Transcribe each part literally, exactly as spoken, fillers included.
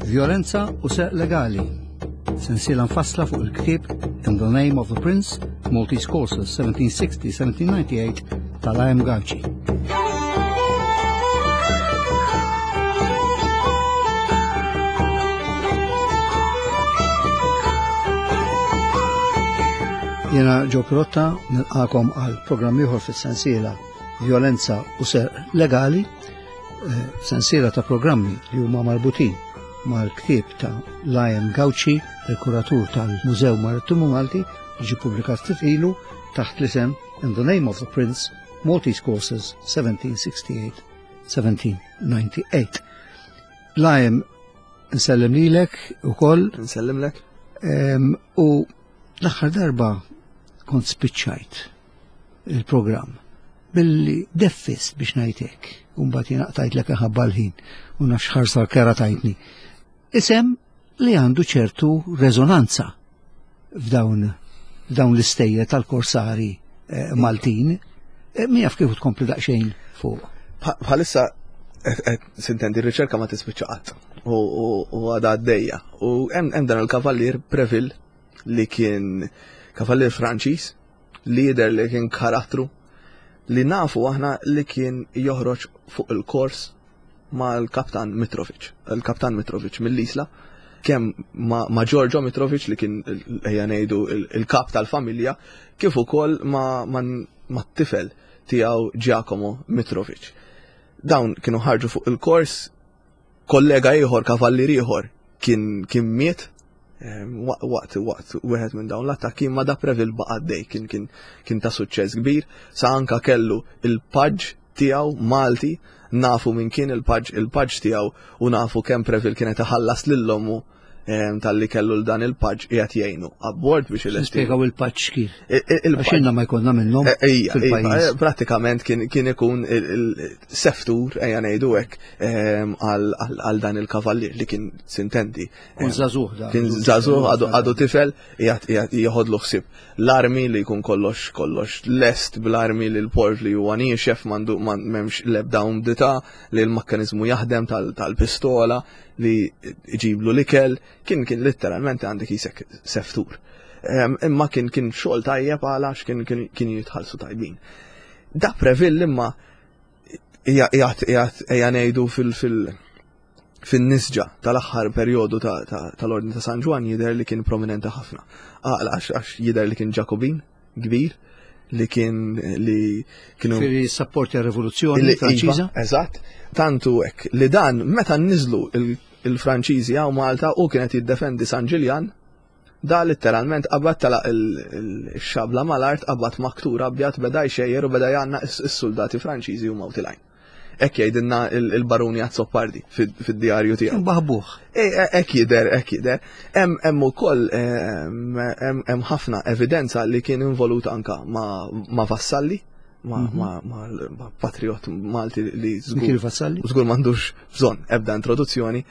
Violenza u Serq Legali. Sensiela mfassla fuq il-ktieb In the Name of the Prince, Maltese Courses seventeen sixty seventeen ninety-eight tal-A M Gauci. Jena Joe Pirotta, nilqakom għal programm ieħor fis-sensiela Violenza u Serq Legali, eh, sensiela ta' programmi li huma marbutin mal-ktieb ta' Lion Gauci, il-kuratur tal-Mużew Marittimu Malti, li ġie pubblikat ftit ilu taħt l-isem In the Name of the Prince, Maltese Courses seventeen sixty-eight seventeen ninety-eight. Lion, nsellem lilek ukoll. Nsellimlek. Em, u l-aħħar darba kont spiċċajt il-programm billi deffist biex ngħidlek, u mbagħad jiena qtajtlek ħabba l-ħin u nafx ħarsa kera tajtni. Isem li għandu ċertu rezonanza f'dawn f'dawn l-istejjer tal-korsari eh, Maltin. Eh, Min jaf kif tkompli daqsxejn fuq. Bħalissa sintendi r-riċerka ma tispiċċa qatt u u- u għadha għaddejja. U hemm hemm dan il-kavallier Preville li kien kavallier Franċiż li jidher li kien karattru li nafu aħna li kien joħroġ fuq il-kors mal-kaptan Mitrovic. Il-kaptan Mitrovic mill-Isla, kemm ma, ma Giorgio Mitrovic li kien il- ejja ngħidu il- il-kap tal-familja, kif ukoll ma, ma, ma t-tifel tiegħu Giacomo Mitrovic. Dawn kienu ħarġu fuq il-kors, kollega ieħor, kavallier ieħor kien kien miet em, waqt waqt waqt wieħed minn dawn l-attakki, ma da Preville baqa' għaddej, kien kien kien ta' suċċess kbir, sa anka kellu il-paġġ tiegħu Malti, nafu minn kien il-paġġ il-paġġ tiegħu u nafu kemm Preville kienet iħallas lil ommu em, talli kellu l dan il-paġġ qiegħed jgħinu abbord biex ilesti. Spjegaw il-paġġ kif. Il- il- Għax ilna ma jkollna minnhom Eh, Ejja, fil-pajjiż. ejja, pratikament kien kien ikun il-seftur, ejja ngħidu hekk, em, għal għal dan il-kavallier li kien sintendi. Kun żagħżugħ da. Kien żagħżugħ, għadu għadu tifel, qiegħed qiegħed joħodlu ħsieb l-armi li jkun kollox kollox lest bl-armi, li l-port li huwa niexef, m'għandu m'hemmx l-ebda umdità, li l-mekkaniżmu jaħdem tal- tal-pistola, li iġiblu l-ikel, kien kien letteralment għandek jisek seftur. Em, Imma kien kien xogħol tajjeb għalax kien kien kien jitħallsu tajbin. Da Preville imma qiegħed qiegħed ejja ngħidu fil fil fin-nisġa tal-aħħar perjodu ta- ta- tal-Ordni ta' San Ġwann jidher li kien prominenti ħafna. Għala għax għax jidher li kien Ġakobin kbir li kien li kienu Firri sapporti għar-rivoluzzjoni Illi- Franċiża. Iva, eżatt. Tantu hekk li dan meta niżlu il- il-Franċiżi hawn Malta u kienet jiddefendi San Ġiljan, da letteralment qabad tala il-xabla mal-art, qabad maktur abjad, beda jxejjer u beda jgħanna is-soldati Franċiżi u mawtilajn. Hekk jgħidilna il- il-Baruni Azzopardi fid-djarju tiegħu. Kien baħbuħ. E, e, Hekk jidher, hekk jidher. Hemm hemm ukoll em, hemm hemm ħafna evidenza li kien involut anka ma' ma' Vassalli, ma' ma' ma' ma' patriot Malti li żgur Mikiel Vassalli. żgur m'għandux bżonn ebda introduzzjoni.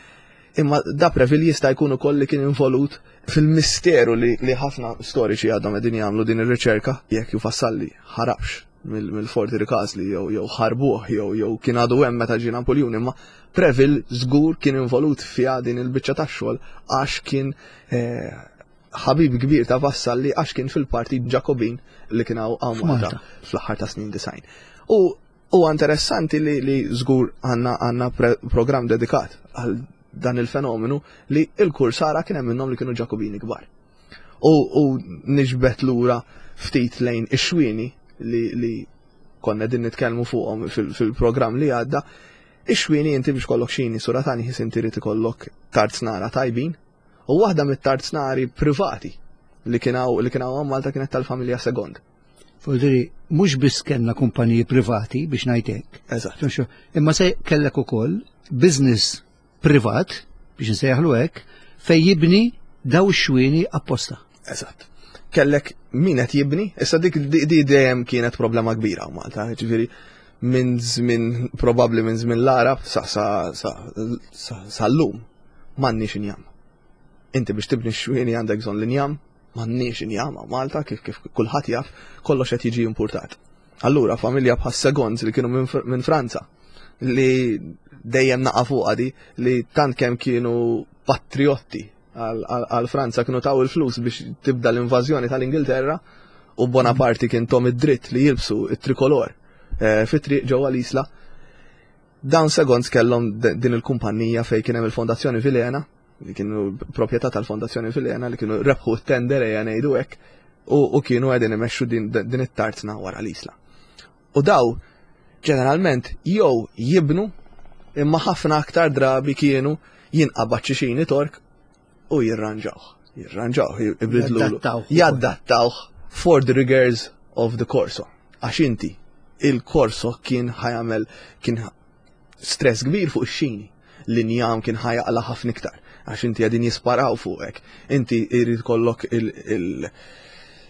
Imma da Preville jista' jkun ukoll li kien involut fil-misteru li, li ħafna storiċi għadhom qegħdin jagħmlu din ir-riċerka jekk ju Vassalli ħarabx mill- mill-Forti Ricasoli jew jew ħarbuh jew jew kien għadu hemm meta ġie Napoljun, imma Preville żgur kien involut fiha din il-biċċa tax-xogħol għax kien eh, ħabib kbir ta' Vassalli, għax kien fil-partit Ġakobin li kien hawn hawn Malta F'Malta. fl-aħħar ta' snin disgħin. U huwa interessanti li, li żgur għandna għandna pre- programm dedikat għal dan il-fenomenu li il-kursara kien hemm minnhom li kienu Ġakobini kbar. U, u niġbet lura ftit lejn ix-xwieni li, li konna din nitkellmu fuqhom fil- fil-programm li għadda. Ix-xwieni, inti biex kollok xini suratani ħis inti rid ikollok tarznara tajbin, u waħda mit-tarznari privati li kien hawn li kien hawn Malta kienet tal-familja Segond. Fodri, mhux biss kellna kumpaniji privati biex ngħidlek. Eżatt. Imma se kellek ukoll business privat biex nsejjaħlu hekk fej jibni daw ix-xwieni apposta. Eżatt. Kellek min qed jibni, issa dik di di dejjem kienet problema kbira hawn Malta, ġifieri minn żmien, probabbli minn żmien l-Arab sa sa sa sa sal-lum m'għandniex injam. Inti biex tibni xwieni għandek bżonn l-injam, m'għandniex injam hawn Malta, kif kif kulħadd jaf, kollox qed jiġi importat. Allura familja bħas Segonds li kienu minn Fr- minn Franza, li dejjem naqa' fuqha di li tant kemm kienu patriotti għal Franza kienu taw il-flus biex tibda l-invażjoni tal-Ingilterra u Bonaparte kien tahom id-dritt li jilbsu it-trikolor eh, fit-triq ġewwa l-Isla. Dawn Segonds kellhom din il-kumpanija fej kien hemm il-Fondazzjoni Vilhena, li kienu proprjetà tal-Fondazzjoni Vilhena li kienu rebħu t-tender, ejja ngħidu hekk, u kienu qegħdin imexxu din it-tarzna wara l-Isla. U daw ġeneralment jew jibnu, imma ħafna aktar drabi kienu jinqabad xi xini Tork u jirranġawh. Jirranġawh, jibidlu. Jaddattawh for the rigors of the corso. Għax inti, il-corso kien ħa jagħmel, kien stress kbir fuq ix-xini. L-injam kien ħa jaqla' ħafna iktar. Għax inti qegħdin jisparaw fuqek. Inti jrid ikollok il-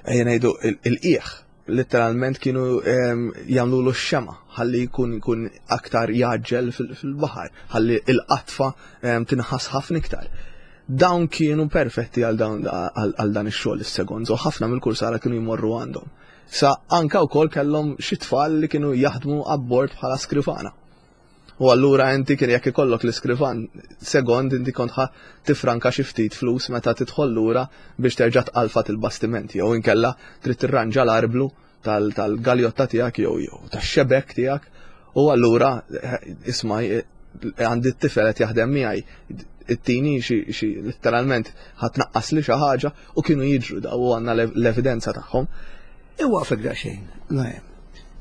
ejja ngħidu il-qiegħ literalment kienu jagħmlu l xema ħalli jkun jkun aktar jaġġel fil-baħar, ħalli il-qatfa tinħass ħafna iktar. Dawn kienu perfetti għal dan ix-xogħol, is-Segonds, u ħafna mill-kursara kienu jmorru għandhom. Sa anka wkoll kellhom xi tfal li kienu jaħdmu abbord bħala skrivana. U allura inti kien jekk ikollok l-iskrivan Segond, inti kont ħa tifranka xi ftit flus meta tidħol lura biex terġa' tqalfat il-bastiment jew inkella trid tirranġa l-arblu tal-galjotta tiegħek jew jew tax-xebek tiegħek u allura eh, isma', eh, għandi t-tifel qed jaħdem miegħi, it-tini xi letteralment ħa tnaqqas li xi ħaġa, u kienu jiġru daw u għandna l-evidenza tagħhom. Iwaqfek daqsxejn, Najem.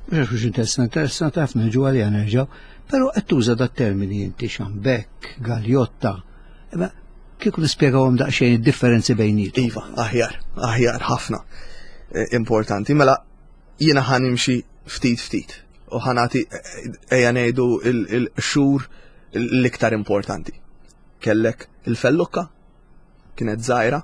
Mhux mhux interessant, interessant ħafna, ġu għalija nerġgħu, però qed tuża da termini inti, xambek, galjotta. Imma kieku nispjegawhom daqsxejn id-differenzi bejniethom. Iva, aħjar, aħjar ħafna. E, importanti, mela jiena ħa nimxi ftit ftit u ħa nagħti, ejja ngħidu, il-xhur l-iktar importanti. Kellek il-fellukka, kienet żgħira.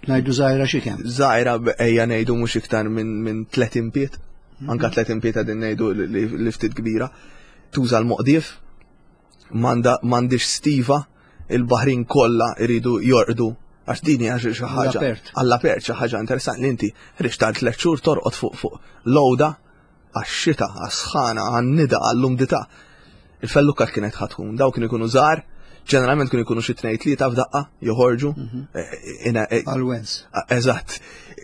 Ngħidu żgħira xi kemm? Żgħira, ejja ngħidu mhux iktar minn min tletin pied, anka tletin pied qegħdin ngħidu li, li ftit kbira. Tuża l-moqdief, m'għandix stiva, il-baħrin kollha iridu jorqdu għax dini għax xi ħaġa Għall-apert. Għall-apert, xi ħaġa interessanti li inti ħriġt tal tliet xhur torqod fuq fuq lowda għax-xita, għas-sħana, għan-nida, għall-umdità. Il-fellukka kienet ħa tkun, daw kienu jkunu żgħar, ġeneralment kienu jkunu xi tnejn tlieta f'daqqa joħorġu. Eh, ina- eh, Għal-wens. Eżatt,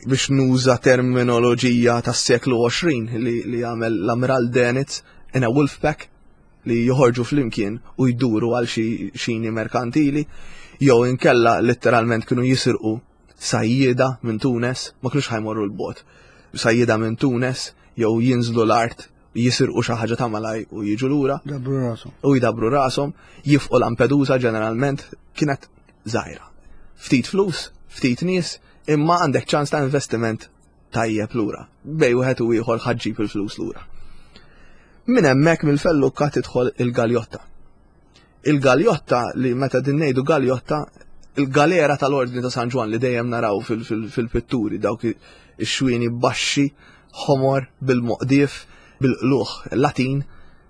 biex nuża terminoloġija tas-seklu għoxrin li, li għamel l-Amiral Dönitz, in a wolf pack, li joħorġu flimkien u jduru għal xi xini merkantili, jew inkella letteralment kienu jisirqu sajjieda minn Tunes, ma kienux ħa jmorru 'l bogħod. Sajjieda minn Tunes, jew jinżlu l-art, jisirqu xi ħaġa ta' malaj u jiġu lura Dabru rasu. U jdabru rashom, jifqu Lampedusa ġeneralment, kienet żgħira. Ftit flus, ftit nies, imma għandek ċans ta' investiment tajjeb lura. Bejn wieħed u ieħor ħa ġġib il-flus lura. Minn hemmhekk mill-fellukka tidħol il-galjotta. Il-galjotta, li meta din ngħidu galjotta, il-galera tal-Ordni ta' San Ġwann li dejjem naraw fil-pitturi, dawk ix-xwieni baxxi, ħomor, bil-moqdief, bil-qluħ Latin,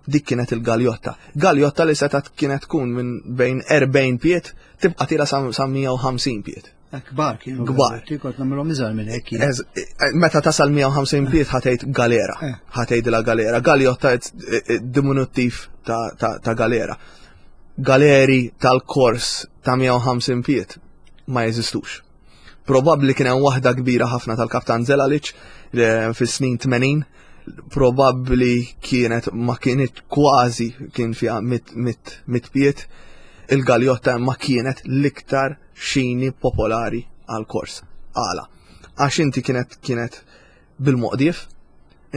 dik kienet il-galjotta. Galjotta li setat kienet tkun minn bejn erbgħin pied, tibqa' tiela' sa mija u ħamsin pied. Kbar kienu. Kbar. Kont nagħmilhom iżgħar minn hekk. Ez- eh, Meta tasal mija u ħamsin pied ħa tgħid galera. Eh. Ħa tgħidilha galera. Galjotta eh, eh, diminuttiv ta', ta, ta' galera. Galeri tal-kors ta' mija u ħamsin pied ma jeżistux. Probabli kien hemm waħda kbira ħafna tal-Kaptan Zelalic eh, fis-snin tmenin, probabli kienet ma kienet kważi kien fiha mit, mit, mit pied. Il-galjotta ma kienet l-iktar xini popolari għal-kors. Għala? Għax inti kienet kienet bil-moqdief,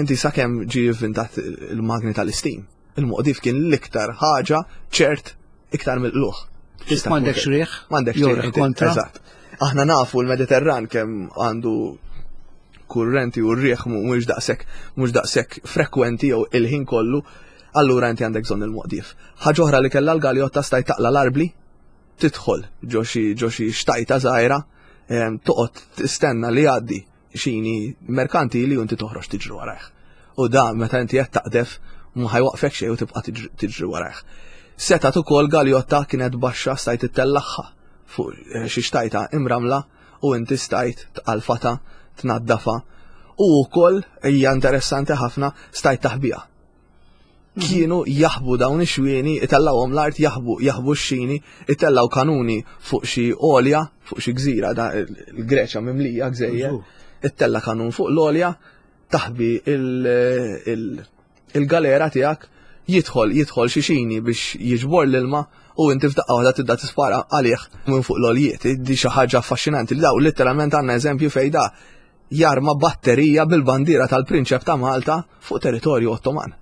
inti sakemm ġi inventat il-magni tal-steam. Il-moqdief kien l-iktar ħaġa ċert iktar mill-qluħ. Tista' M'għandekx tkun- riħ? M'għandekx Jew riħ, riħ inti- kontra? Eżatt. Aħna nafu l-Mediterran kemm għandu kurrenti u r-riħ mhuwiex daqshekk mhux daqshekk frekwenti jew il-ħin kollu, allura inti għandek bżonn il-moqdief. Ħaġa oħra li kellha l-galjotta, stajt taqla l-arbli, tidħol ġo xi ġo xi xtajta żgħira, em, toqgħod tistenna li jgħaddi xini merkantili u inti toħroġ tiġri warajh. U da meta inti qed taqdef ma ħa jwaqfek xejn u tibqa' tiġri- tiġri warajh. Setat ukoll galjotta kienet baxxa, stajt ittellagħha fuq eh, xi xtajta imramla u inti stajt tqalfata, tnaddafa u wkoll hija interessanti ħafna, stajt taħbiha. Kienu jaħbu dawn ix-xwieni, itellgħuhom l-art, jaħbu jaħbu x-xini, itellaw kanuni fuq xi għolja, fuq xi gżira, da il-Greċja mimlija gżejjer, ittella kanun fuq l-għolja, taħbi il-galera tiegħek, jidħol jidħol xi xini biex jiġbor l-ilma u inti f'daqqa waħda tibda tispara għalih minn fuq l-għoljiet. Di xi ħaġa affaxxinanti li daw letteralment għandna eżempju fejn da jarma batterija bil-bandiera tal-Prinċep ta' Malta fuq territorju Ottoman.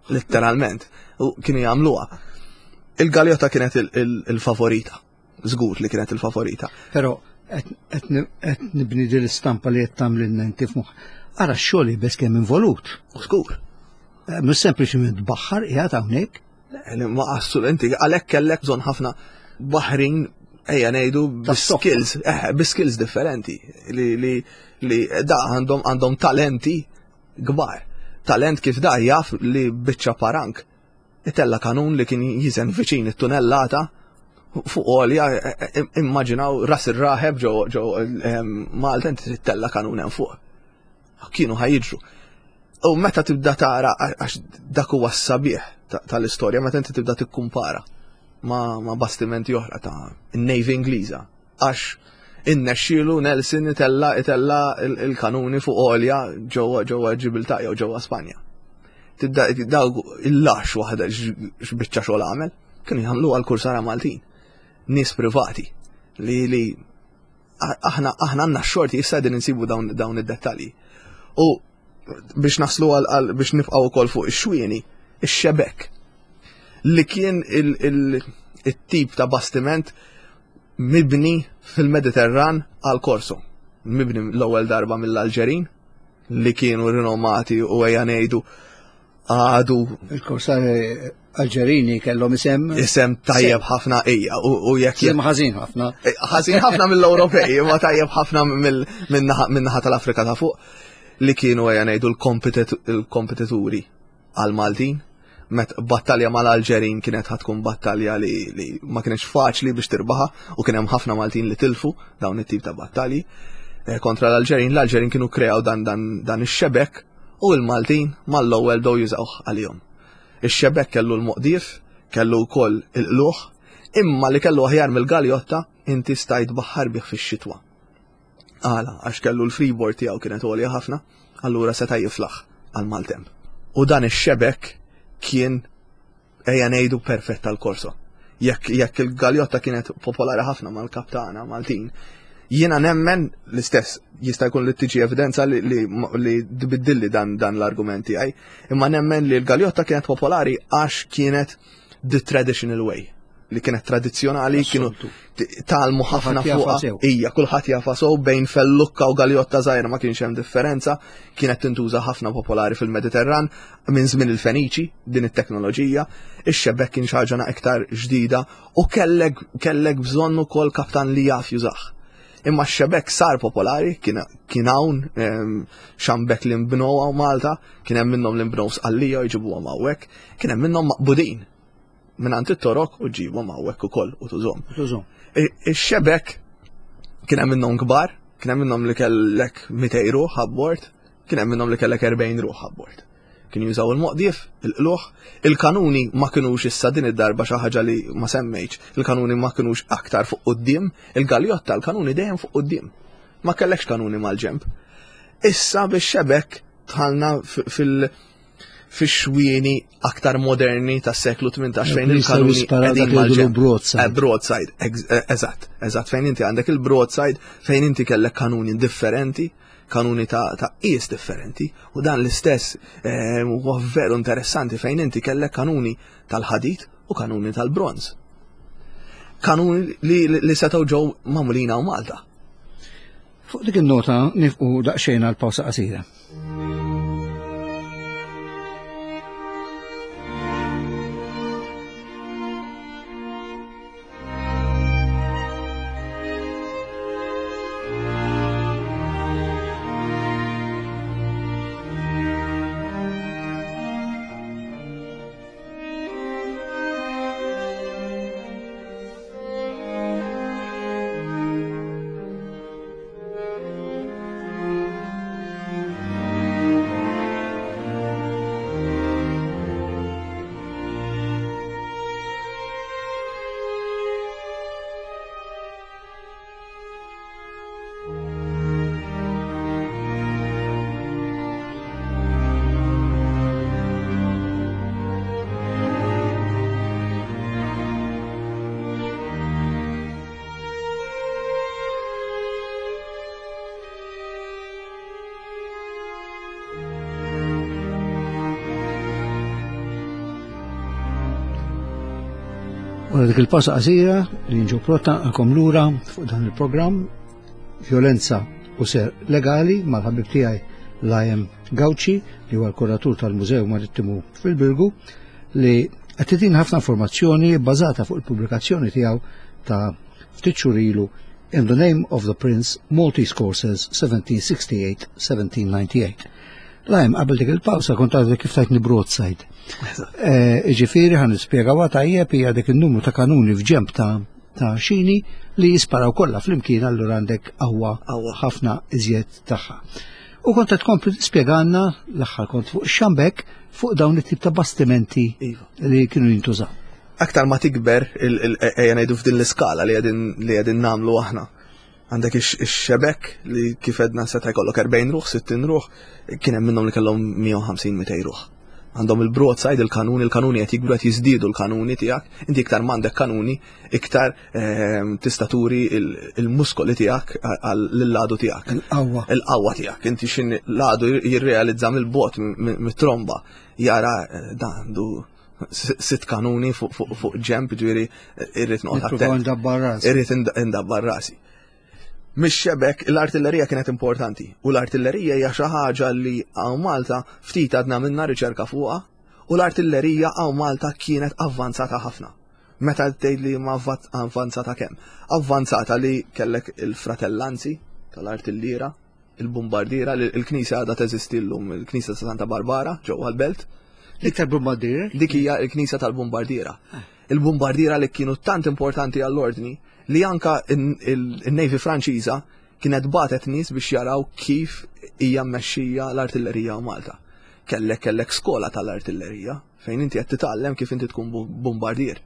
Letteralment. U kienu jagħmluha. Il-galjotta kienet il-favorita. Żgur li kienet il-favorita. Però qed nibni din l-istampa li qed tagħmlilna inti f'moħħ. Ara x-xogħol iebes kemm involut. Żgur. Mhux sempliċiment tbaħħar qiegħed hawnhekk. Ma qassu inti għalhekk kellek bżonn ħafna baħrin ejja ngħidu bi-skills, eh, bi-skills differenti li li li da għandhom għandhom talenti kbar. Talent kif da jaf li biċċa parank. Itella kanun li kien jiżen viċin it-tunellata fuq għolja, immaġinaw ras ir-raħeb ġo ġo Malta inti trid tella kanun hemm fuq. Kienu ħajġru. U meta tibda tara għax dak huwa s-sabiħ tal-istorja, meta inti tibda tikkumpara ma, ma bastimenti oħra ta' in-Navy Ingliża. Għax innexxielu Nelson itella itella il-kanuni fuq għolja ġewwa ġewwa Ġibiltà jew ġewwa Spanja. Tibda dawk il-lax waħda x'biċċa xogħol għamel, kienu jagħmlu għal kursara Maltin. Nies privati li li aħna aħna għandna x-xorti issa qegħdin insibu dawn dawn id-dettalji. U biex naslu għal biex nibqgħu wkoll fuq ix-xwieni, ix-xebek li kien il-tip ta' bastiment mibni fil-Mediterran għal Korso. Mibni l-ewwel darba mill-Alġerin li kienu rinomati u ejja ngħidu għadu. Il-korsari Alġerini kellhom isem. Isem tajjeb ħafna ejja u jekk. Isem ħażin ħafna. Ħażin ħafna mill-Ewropej, imma tajjeb ħafna min-naħa tal-Afrika ta' fuq li kienu ejja ngħidu l-kompetituri għal-Maltin. Met battalja mal-Alġerin kienet ħatkun battalja li, li ma kienx faċli biex tirbaħa u kien hemm ħafna Maltin li tilfu dawn it-tip ta' battalji kontra l-Alġerin. L-Alġerin kienu kreaw dan, dan, dan ix-xebek u l-Maltin mal-ewwel bdew jużawh għalihom. Ix-xebek kellu l-moqdif, kellu wkoll il-qluħ, imma li kellu aħjar mill-galjotta inti stajt baħħar bih fix-xitwa. Għala, għax kellu l-freeboard tiegħu kienet għolja ħafna, allura seta' jiflaħ għal maltemp. U dan ix-xebek kien ejja ngħidu perfett tal-korso. Jekk jekk il-galjotta kienet popolari ħafna mal-kaptana Maltin, jiena nemmen l-istess jista' jkun li tiġi evidenza li li, li tbiddilli dan, dan l-argument tiegħi, imma nemmen li l-galjotta kienet popolari għax kienet the traditional way, li kienet tradizzjonali, kienu talmu ħafna fuqha. Ija, kulħadd jafa sew bejn fellukka u galjotta żgħira ma kienx hemm differenza, kienet tintuża ħafna popolari fil-Mediterran minn żmien il-Feniċi din it-teknoloġija, ix-xebek kien xi ħaġa iktar ġdida u kellek kellek bżonn ukoll kaptan li jaf jużah. Imma x-xebek sar popolari, kien hawn xambek li nbnew hawn Malta, kien hemm minnhom li nbnew Sqallija u jġibuhom hawnhekk, kien hemm minnhom maqbudin minn għand it-torok u ġibhom hawnhekk ukoll u tużhom. Tużhom. Ix-xebek kien hemm minnhom kbar, kien hemm minnhom li kellek mitejn ruħ abbord, kien hemm minnhom li kellek erbgħin ruħ abbord. Kienu jużaw il-moqdief, il-qluħ, il-kanuni ma kinux issa din id-darba xi ħaġa li ma semmejtx, il-kanuni ma kinux aktar fuq quddiem, il-galjotta l-kanuni dejjem fuq quddiem. Ma kellekx kanuni mal-ġemp. Issa bix-xebek dħalna fil- fix-xwieni aktar moderni tas-seklu tmintax fejn il-kanuni qegħdin mal-ġemp. Broadside. Broadside, eżatt, eżatt, fejn inti għandek il-broadside, fejn inti kellek kanuni differenti, kanuni ta' ta' qies differenti, u dan l-istess huwa veru interessanti fejn inti kellek kanuni tal-ħadid u kanuni tal-bronz. Kanuni li, li setgħu ġew magħmulin hawn Malta. Fuq dik in-nota nifqu daqsxejn għal pawsa qasira. Wara dik il-pawsa qasira li nġu protta għakom lura fuq dan il-programm Vjolenza u Serq Legali mal-ħabib tiegħi Liam Gauci, li huwa l-kuratur tal-Mużew Marittimu fil-Birgu, li qed titina ħafna informazzjoni bbażata fuq il-pubblikazzjoni tiegħu ta' ftit xhur ilu, In the Name of the Prince, Maltese Corsairs seventeen sixty-eight seventeen ninety-eight. Liam, qabel dik il-pawsa kont għadek kif tajtni broadside. Eh, Ġifieri ħa nispjegaw tajjeb, hija dik il-numru ta' kanuni f'ġemp ta' ta' xini li jisparaw kollha flimkien, allura għandek qawwa Qawwa. ħafna iżjed tagħha. U kont qed tkompli tispjegana, l-aħħar kont fuq xambek, fuq dawn it-tip ta' bastimenti Iva. li kienu jintużaw. Aktar ma tikber, il- il- ejja ngħidu f'din l-iskala li qegħdin li qegħdin nagħmlu aħna. Għandek ix- ix-xebek li kif edna seta' jkollok erbgħin ruħ, sittin ruħ, kien hemm minnhom li kellhom mija u ħamsin, mitejn ruħ. Għandhom il-broadside, il-kanuni, il-kanuni qed jikbru, qed jiżdiedu l-kanuni tiegħek. Inti iktar m'għandek kanuni, iktar ehm, tista' turi il- il-muskoli tiegħek lill-għadu tiegħek. Il-qawwa. Il-qawwa tiegħek. Inti xin l-għadu jirrealizza mill-bot mit-tromba, jara eh, dan għandu sitt kanuni fuq fuq fuq ġemp, ġifieri eh, irrid noqgħod Nippruvaw attent. ndabbar rasi. Irrid ind- indabbar rasi. Mix xebek, l-artillerija kienet importanti. U l-artillerija hija xi ħaġa li hawn Malta ftit għadna minna riċerka fuqha, u l-artillerija hawn Malta kienet avvanzata ħafna. Meta tgħid li ma avvat- avvanzata kemm? Avvanzata li kellek il-fratellanzi tal-artilliera, il-bombardiera, li il-knisja għadha teżisti llum, il-knisja ta' Santa Barbara ġewwa l-belt. Iktar bombardier? Dik hija l-knisja tal-bombardiera. Il-bombardiera li kienu tant importanti għall-ordni li anka il-Navy Franċiża kienet batet nies biex jaraw kif hija mmexxija l-artillerija Malta. Kellek kellek skola tal-artillerija fejn inti qed titgħallem kif inti tkun bombardier.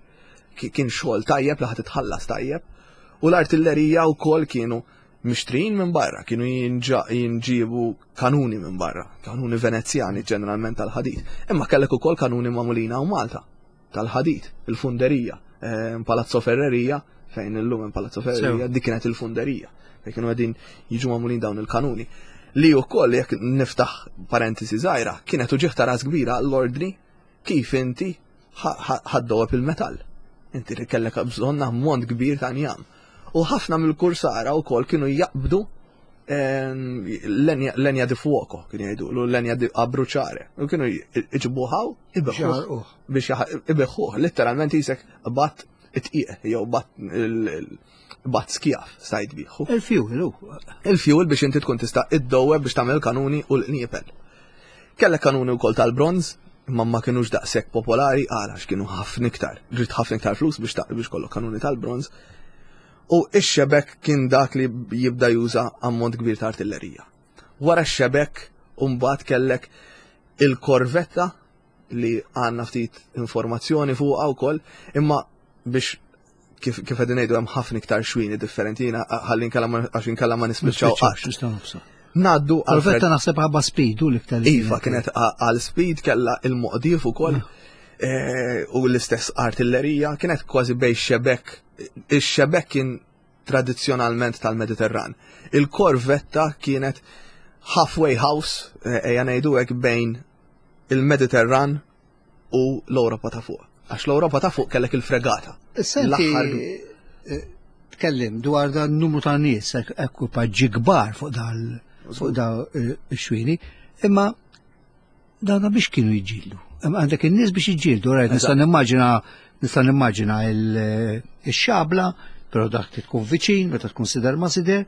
Kien xogħol tajjeb li ħadd titħallas tajjeb. U l-artillerija wkoll kienu mixtrijin minn barra, kienu jinġibu kanuni minn barra, kanuni Venezjani ġeneralment tal-ħadid. Imma kellek ukoll kanuni magħmulin hawn Malta tal-ħadid, il-funderija, eh, Palazzo Ferreria, fejn illum hemm Palazzo Ferreria, dik kienet il-funderija, fejn kienu qegħdin jiġu magħmulin dawn il-kanuni. Li wkoll, jekk niftaħ parentesi żgħira, kienet uġigħ ta' ras kbira l-ordni kif inti ħa ddewweb il-metall. Inti kellek bżonn ammont kbir ta' njam. U ħafna mill-kursara wkoll kienu jaqbdu lenja di fuoco, kienu jgħidu, l-lenja di a bruciare. U kienu iġibuha ibigħuh. Biex ibigħuh, letteralment jisek bat it-tqiq, jew bat bat skjaf, stajt biħu. Il-fuel, u. Il-fuel biex inti tkun tista' iddowweb biex tagħmel kanuni u l-qniepel. Kellek kanuni wkoll tal-bronz, imma ma kienux daqshekk popolari għala kienu ħafna iktar. Ġrid ħafna iktar flus biex biex kollok kanuni tal-bronz. U ix-xebek kien dak li jibda juża ammont kbir ta' artillerija. Wara x-xebek, mbagħad kellek il-korvetta li għandna ftit informazzjoni fuqha wkoll, imma biex kif kif qegħdin ngħidu hemm ħafna iktar xwini differenti, jiena ħalli nkella għax inkella ma nispiċċaw qatt. Naddu Korvetta naħseb ħabba speed u l-iktar. Iva, kienet għal speed, kella il-moqdif ukoll eh, u l-istess artillerija, kienet kważi bejn xebek. Ix-xebek kien tradizzjonalment tal-Mediterran. Il-korvetta kienet halfway house, eh, ejja ngħidu hekk, bejn il-Mediterran u l-Ewropa ta' fuq. Għax l-Ewropa ta' fuq kellek il-fregata. Issa inti L-aħħar eh, tkellim dwar dan numru ta' nies, ek- ekwipaġġi kbar fuq dal fuq da eh, ix-xwini, imma dana biex kienu jiġġieldu? Imma għandek in-nies biex jiġġieldu, rajt, nista' nimmaġina nista' nimmaġina il- ix-xabla, però dak trid tkun viċin, meta tkun sider ma' sider,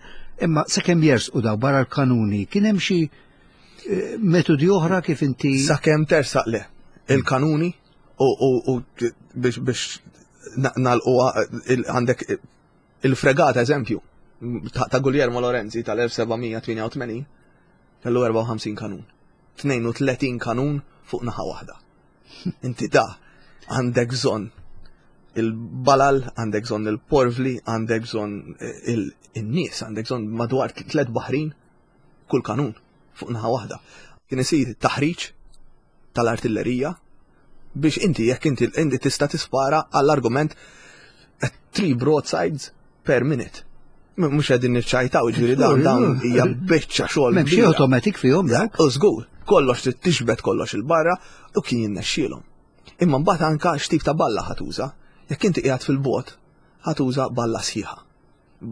imma sakemm jersqu daw barra l-kanuni, kien hemm xi eh, metodi oħra kif inti Sakemm tersaq le. Il-kanuni u, u, u biex biex na- nalqu il- għandek il-fregata, eżempju, ta' ta' Guglielmo Lorenzi tal-elf seba' mija tmienja u tmenin kellu erbgħa u ħamsin kanun. tnejn u tletin kanun fuq naħa waħda. Inti da għandek bżonn il-balal, għandek bżonn il-porvli, għandek bżonn il-nies, għandek bżonn madwar tlet baħrin kull kanun fuq naħa waħda. Kien isir taħriġ tal-artillerija biex inti jekk inti inti tista' tispara għall-argument at three broadsides per minute. M- Mhux qegħdin niċċajtaw, ġifieri dawn dawn hija biċċa xogħol M'hemm xi kbira. automatic fihom dak. U żgur, kollox trid tixbet kollox il-barra u kien jinnexxielhom. Imma mbagħad anka x'tip ta' balla ħa tuża. Jekk inti qiegħed fil-bogħod, ħa tuża balla sħiħa.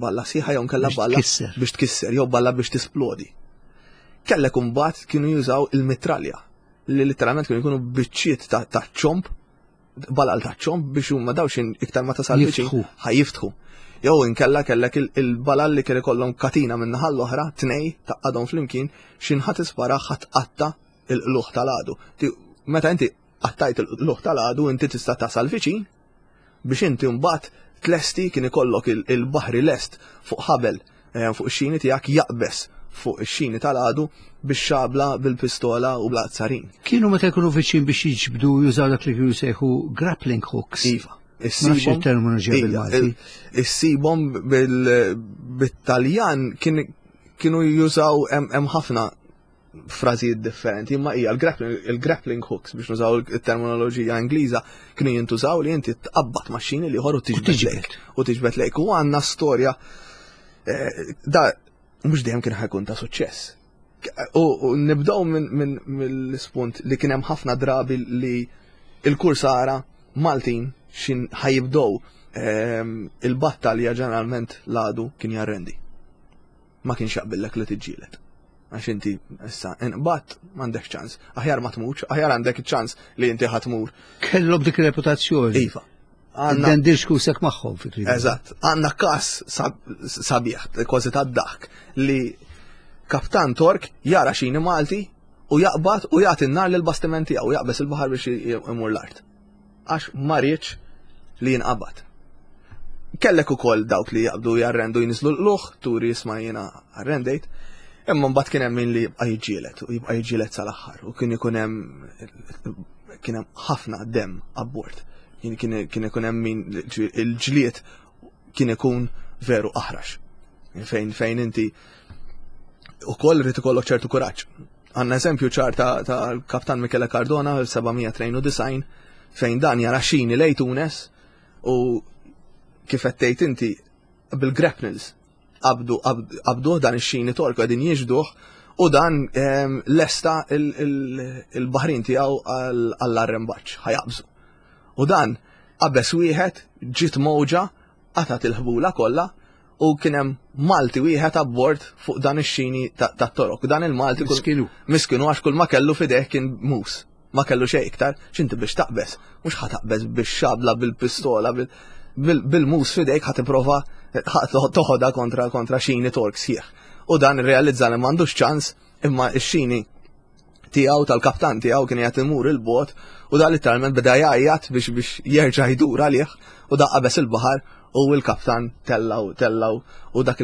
Balla sħiħa jew kella balla biex tkisser jew balla biex tisplodi. Kellek imbagħad kienu jużaw il-mitralja li letteralment kienu jkunu biċċiet ta' ċomb, balal ta' ċomb biex huma daw xin iktar ma tasal viċin ħa jiftħu. Jew inkella kellek il-balal li kien ikollhom katina minn naħa l-oħra, tnej taqadhom flimkien, xin ħa tispara ħa tqatta il-qluħ tal-għadu. Meta inti qattajt il-qluħ tal-għadu inti tista' tasal viċin biex inti mbagħad tlesti kien ikollok il-baħri lest fuq ħabel eh, fuq ix-xini tiegħek jaqbes fuq ix-xini tal-għadu biex xabla bil-pistola u bl-azzarin. Kienu meta jkunu viċin biex jiġbdu jużaw dak li kienu jsejħu grappling hooks. Iva. Issibhom terminoloġija bil-Malti. Issibhom bil-Taljan kienu jużaw hemm ħafna frażijiet differenti, imma hija il-grappling hooks biex nużaw il-terminoloġija Ingliża kienu jintużaw li inti tqabbad max-xini li u tiġbed lejk. U tiġbed lejk. U għandna storja eh, da mhux dejjem kien ħa jkun ta' suċċess. U nibdew minn mill-ispunt li kien hemm ħafna drabi li il-kursara Maltin xin ħa jibdew ehm, il-battalja ġeneralment l-għadu kien jarrendi. Ma kienx jaqbillek li tiġġieled. Għax inti issa inqbatt m'għandek ċans. Aħjar ma tmutx, aħjar għandek ċans li inti ħa tmur. Kellhom dik reputazzjoni. Iva. Dendirx kusek magħhom fi kriżi. Eżatt. Għandna każ sabiħ, kważi tad-dak, li kaptan Tork jara xini Malti u jaqbad u jagħti n-nar lill-bastiment tiegħu jaqbeż il-baħar biex imur l-art. Għax ma riedx li jinqabad. Kellek ukoll dawk li jaqbdu jarrendu jinżlu l-luħ, turi jisma' jiena arrendejt, imma mbagħad kien hemm min li jibqa' jiġġieled u jibqa' jiġġieled sal-aħħar u kien ikun hemm kien hemm ħafna demm abbord. Kien kien ikun hemm min il-ġlied kien ikun veru aħrax. Fejn fejn inti ukoll irid ikollok ċertu kuraġġ. Għandna eżempju ċar ta' tal-Kaptan Michele Cardona fil-seba' tnejn u disgħin fejn dan jara xini lej Tunes u kif qed tgħid inti bil-grapnels qabdu qabduh dan ix-xini Tork qegħdin jiġduh u dan ehm, lesta il-baħrin tiegħu għall-arrembaġġ ħa jaqbżu. U dan qabeż wieħed ġiet mowġa qatat il-ħbula kollha u kien hemm Malti wieħed abbord fuq dan ix-xini tat-Torok. Dan il-Malti miskinu. Miskinu għax kull ma kellu fideh kien mus. Ma kellu xejn iktar, x'inti biex taqbeż, mhux ħa taqbeż bix-xabla bil-pistola bil-mus fidejk ħa tipprova toħodha kontra kontra xini Tork sħiħ. U dan irrealizza li m'għandux ċans imma x-xini tiegħu tal-kaptan tiegħu kien qed imur il-bot u da letteralment beda jgħajjat biex biex jerġa' jdur għalih u da qabeż il-baħar u l-kaptan tellaw tellaw u dak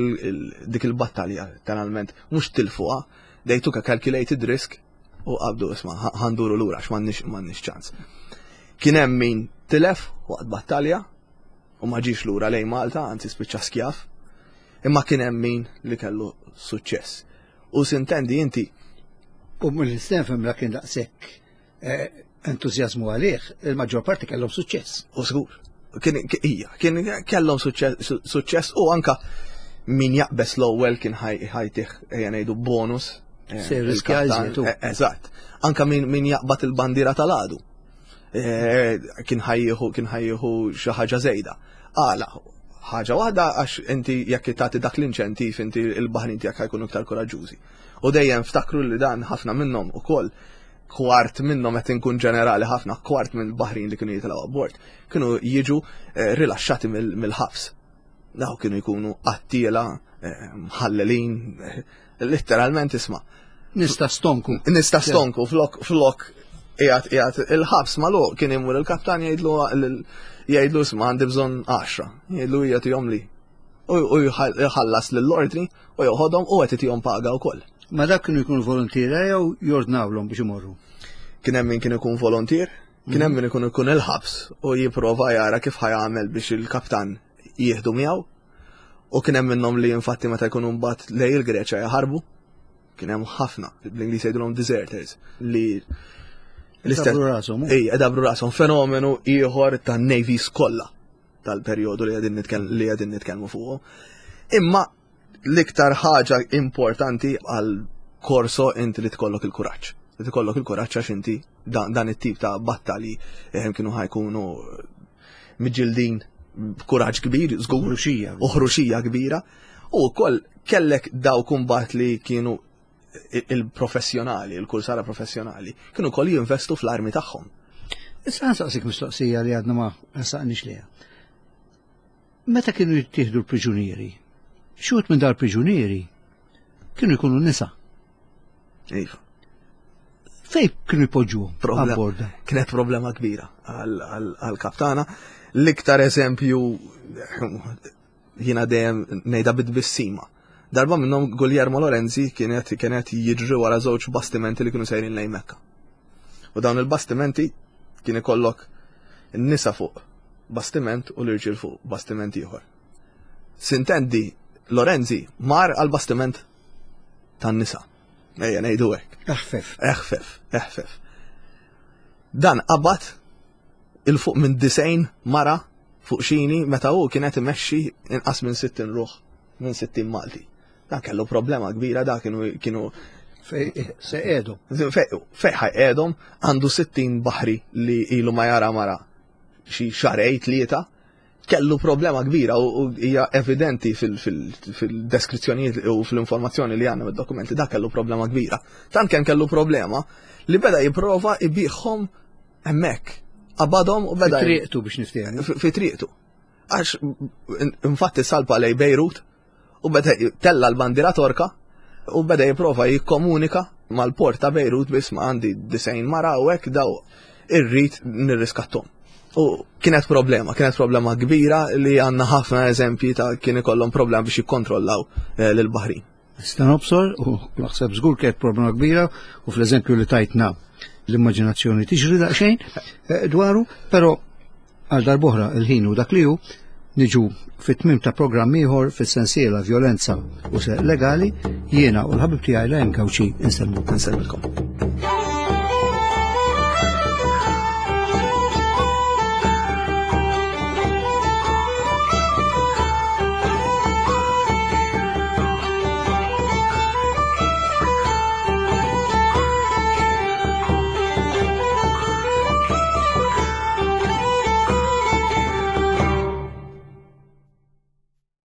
dik il-battalja letteralment mhux tilfuha, they took a calculated risk u qabdu isma' ħa nduru lura għax m'għandniex m'għandniex ċans. Kien hemm min tilef waqt battalja u ma ġiex lura lejn Malta, anzi spiċċa skjaf, imma kien hemm min li kellu suċċess. U sintendi inti U mill-istess la kien daqshekk entużjażmu għalih, il-maġġor parti kellhom suċċess. U żgur. Kien hija, kien kellhom suċċess u anka min jaqbes l-ewwel kien ħajtih ejja ngħidu bonus. Se riskja iżjed. Eżatt. Anka min min jaqbad il-bandiera tal-għadu. Kien ħajjieħu kien ħajjieħu xi ħaġa żejda. Għala, ħaġa waħda għax inti jekk tagħti dak l-inċentiv inti il-baħrin tiegħek ħajkunu iktar koraġġużi. U dejjem ftakru li dan ħafna minnhom ukoll kwart minnhom qed inkun ġenerali ħafna, kwart mill-baħrin li kienu jitilgħu abbord, kienu jiġu rilaxxati mill-ħabs. Daw kienu jkunu qattiela, mħallelin, letteralment isma'. Nista stonku. Nista stonku flok flok qiegħed qiegħed il-ħabs magħluq kien imur il-kaptan jgħidlu jgħidlu isma' għandi bżonn għaxra, jgħidlu hija tihom li. U jħallas lill-ordni u joħodhom u qed itihom paga wkoll. Ma dak kienu jkunu volontiera jew jordnawlhom biex imorru? Kien hemm min kien ikun volontier, kien hemm min ikun ikun il-ħabs u jipprova jara kif ħajamel biex il-kaptan jieħdu miegħu. U kien hemm minnhom li infatti meta jkunu mbagħad lej il-Greċja jaħarbu. Kien hemm ħafna, bl-Ingliż jgħidulhom deserters, li l-istess rashom. Ej, dabru rashom, fenomenu ieħor tan-navies kollha tal-perjodu li qegħdin li qegħdin nitkellmu fuqu. Imma l-iktar ħaġa importanti għal korso inti li tkollok il-kuraġġ. Li tkollok il-kuraġġ għax inti dan, dan it-tip ta' battalji eh, kienu ħajkunu miġġildin b'kuraġġ kbir, żgur, Ħruxija. u ħruxija kbira, u wkoll kellek dawk imbagħad li kienu il-professjonali, il-kursara professjonali, kienu wkoll jinvestu fl-armi tagħhom. Issa nsaqsik mistoqsija li għadna ma nsaqniex liha. Meta kienu jittieħdu l-priġunieri, xi minn dal-priġunieri kienu jkunu nisa. Iva. Fej kienu jpoġġuhom Problem- abbord? Kienet problema kbira għal-kaptana. L-iktar eżempju jiena dejjem ngħidha bit-tbissima. Darba minnhom Guglielmo Lorenzi kienet kienet jiġri wara żewġ bastimenti li kienu sejrin lejn Mekka. U dawn il-bastimenti kien ikollok nisa fuq bastiment u l-irġiel fuq bastiment ieħor. Sintendi Lorenzi mar għal bastiment tan-nisa. Ejja ngħidu hekk. Eħfef. Eħfef, eħfef. Dan qabad 'il fuq minn disgħin mara fuq xini meta hu kienet imexxi inqas minn sittin ruħ, minn sittin Malti. Dan kellu problema kbira, da kienu kienu Fej se qiegħdu. Fej ħa jqegħedhom? Għandu sittin baħri li ilu ma jara mara xi xahrejn, tlieta. Kellu problema kbira u u hija evidenti fil-deskrizzjonijiet u fil-informazzjoni li għandna mid-dokumenti, da kellu problema kbira. Tant kemm kellu problema li beda jipprova ibigħhom hemmhekk. Qabadhom u beda Triqtu biex niftehmu. fi fi triqtu. Għax infatti salpa lej Bejrut u beda tella l-bandira Torka u beda jipprova jikkomunika mal-port ta' Bejrut biss ma għandi disgħin mara u hekk, daw irrid nirriskattom. U kienet problema, kienet problema kbira li għandna ħafna eżempji ta' kien ikollhom problema biex jikkontrollaw eh, lil-baħrin. Nista' nobsor u naħseb żgur kienet problema kbira u fl-eżempju li tajtna l-immaġinazzjoni tiġri daqsxejn eh, dwaru, però għal darb'oħra il-ħin u dak li hu niġu fit-tmim ta' programm ieħor fis-sensiela Vjolenza u Serq Legali. Jiena u l-ħabib tiegħi Lajn Gawċi insellmu. Nsellmilkom.